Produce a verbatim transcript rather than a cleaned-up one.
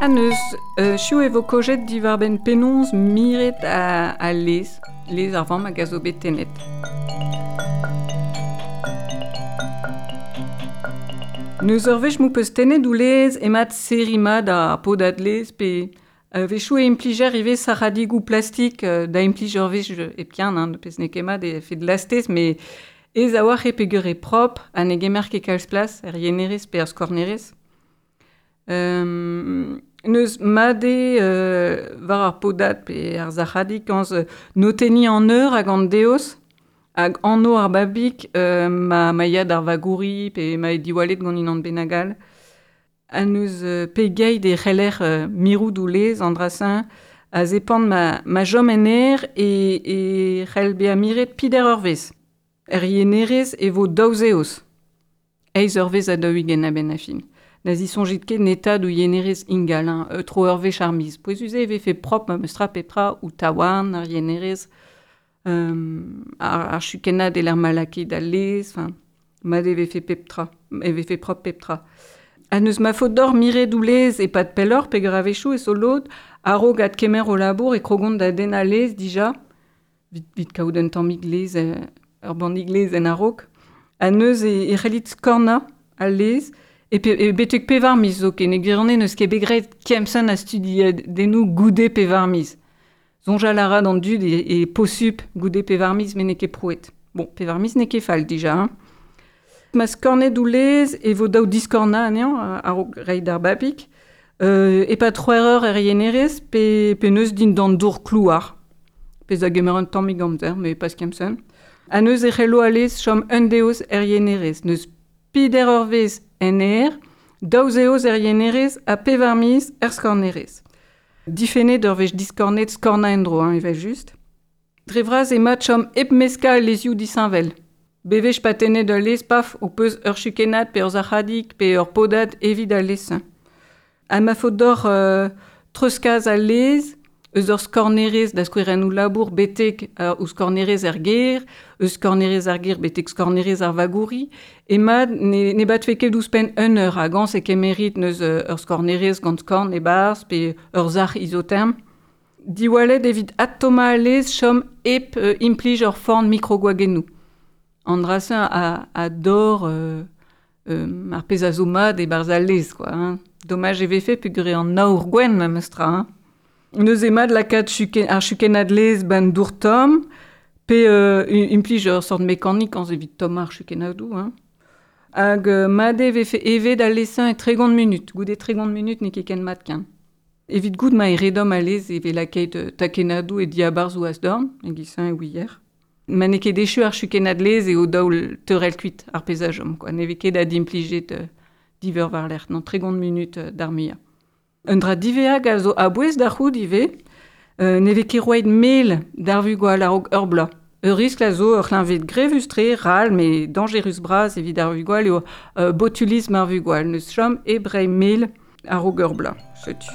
Ha neus, euh, chiou e vo kojet diwar ben penaos miret a, a lez, lez ar vamm hag a zo bet tennet. Neus ur wech m'ho peus tennet ou lez emat serri mat ar podad lez pe euh, wechoù e implijer ivez sarradigou plastik euh, da implij ur wech hepken, hein, pezh n'eo ket mat e fet lastez, met ez a oar e peger e prop ha ne gemer ket kalz plas er yenerez pe er skornerez. Euh, neus mat eo euh, war ar podad pe ar zac'hadig kañs euh, notenniñ an eur hag an deoz hag anv ar babig euh, ma, ma ya d'ar vagouri pe ma e diwallet gant unan bennak all. Ha neus euh, pegeit e c'heller euh, mirout ou lez an dra-se a zepant ma, ma chom en aer e, e c'hell bezañ miret pider ur wezh. Er yenerez e vo daou zeoz. Eizh eurvezh ha daou-ugent a-benn ar fin. Na zisoñjit ket netaat ou yenerez ingal, hein, euh, tro ur wech ar miz. Pouezus eo e vefe prop ma meus tra pep tra ou taouarn ar yenerez, euh, ar, ar chukennad e l'er ma lakaet al lez, enfin, mat e vefe pep tra, e vefe prop pep tra. Ha neus ma faot deoc'h miret ou lez e-pad pelloc'h peogwir a-wechoù e zo lod a-raok adkemer o labour e krogont da dennañ lez dija, vit, vit kaout un tammig lez, euh, ur bannig lez en a-raok. Ha neuze e, e c'hellit skornañ al lez, e, pe, e betek pevar miz zoken. E gwirionez n'eus ket bet graet kempenn a studiadennoù goude pevar miz. Soñjal a ra d'an dud e, e posupl goude pevar miz met n'eo ket prouet. Bon, pevar miz n'eo ket fall dija, hein. Ma skornet ou lez e vo daou diskornañ anezhañ a-raok reiñ d'ar babig. Euh, e-pad c'hwec'h eur er yenerez pe, pe neus dindan dour klouar. Pezh a gemer un tammig amzer, met pas kempenn. Ha neuze e c'hello al lez chom un deoz er yenerez. Neus peder eurvezh en aer, daou zeoz er yenerez ha pevar miz er skornerez. Difennet ur wech diskornet skornañ en-dro, hein, evel-just. Dre vras eo mat chom hep meskañ al lezioù disheñvel. Bewech pa tennet ul lez, paf, ho peus ur chukennad pe ur zac'hadig pe ur podad evit al lez. Ha ma faot deoc'h euh, treuzkas al lez, eus ur skornerez da skouer en labour betek euh, ouzh skornerez er gêr, eus skornerez ar gêr betek skornerez ar vagouri, e mat ne, ne batfe ket ouzhpenn un eur hag-añs e kemerit neus euh, ur skornerez gant skorn e-barzh pe ur sac'h izoterm. Diwallet evit adtommañ al lez chom hep euh, implij ur forn mikrogwagennoù. An dra-se a, a dor euh, euh, ar pezh a zo mat e-barzh al lez, quoi, hein. Domaj e vefe peogwir eo an aour gwenn memes tra, hein. Neuze mat lakaat chuken, ar chukennad lez ban dour tomm, pe euh, implij ur sort mekanik añs evit tommañ ar chukennadoù, hein. Hag euh, mat eo vefe evet al lez-se e tregont munut. Goude tregont munut n'eo ket ken mat ken. Evit goût ma e redomm al lez e vez lakaet euh, takennadoù e diabarzh ou asdorn, e-giz-se e ouier. Ma n'eo ket echu ar chukennad lez eo daou teurel kuit ar pezh a chom, quoi. Ne vez ket adimplijet euh, diveur war-lerc'h, non, tregont munut euh, d'ar muiañ. Un dra diveag a zo a-bouez da c'hoût ivez, euh, ne vez ket roet mel d'ar vugale a-raok ur bloaz. Ur riskl a zo ur c'hleñved grevus-tre, ral, met dañjerus bras evit ar vugale eo euh, botulism ar vugale. Neus chom hep reiñ mel a-raok ur bloaz. Setu.